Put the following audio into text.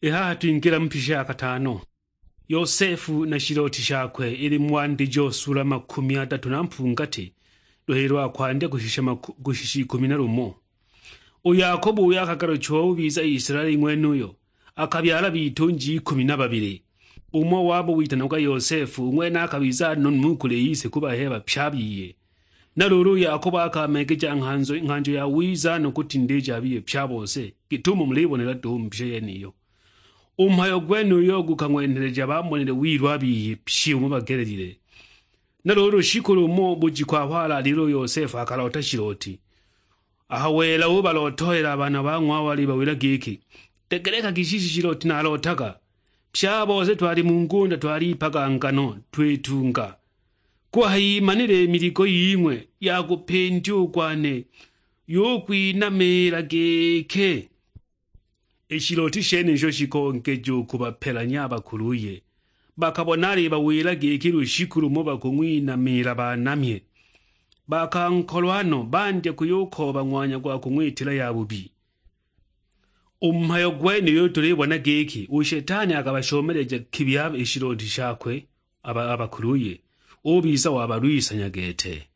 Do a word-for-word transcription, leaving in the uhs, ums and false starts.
I haha twingila mu pisha ya katano. Yosefu na shiloti shakwe, ili mu Wandijo sula makumi adatu na mpungati, luhili lwa kwandya kushisha maku-, kushisha ikumi na lumo. U Yakobo uyo akagaluchiwa ubiza Isilaeli ng'wenuyo, akabyala bitunji ikumi na babili. Umo wabo witanagwa Yosefu, u ng'wene akabiza nonumi u kuli ise ku baheba pye a biye. Na luulu u Yakobo akameegeja nghanjo, nghanjo ya wiza no kutindija a biye pye a bose, git'umo mulibonela duhu mu mbishe yeniyo. U mhayo gwenuyo gukang'wenheleja bamonile wilu a biye pye umo bagelelile. Na luulu shiku lumo bujiku aho alaalile u Yosefu akaloota shiloti. Aho wela ubalootohela a baana ba ng'wawe alibawila giki, "Degelekagi shishi shiloti nalootaga. Pye a bose twali mu ngunda twaliipaga ngano, twitunga. Kuhayimanile i miligo ying'we ya kupindiwa u kwane, yukwinamila giki." I shiloti shenisho shikongeja u kubapelanya a bakuluye. Bakabona alibawila giki lushiku lumo bakung'winamila banamye. Bakankolwa no, bandya kuyukooba ng'wanya gwa kung'witila yabubi. U mhayo gwenuyo tulibona giki u Shetani akabashomeleja kibi a-, i shiloti shakwe a ba-, a bakuluye, ubiza wabalwisanya gete.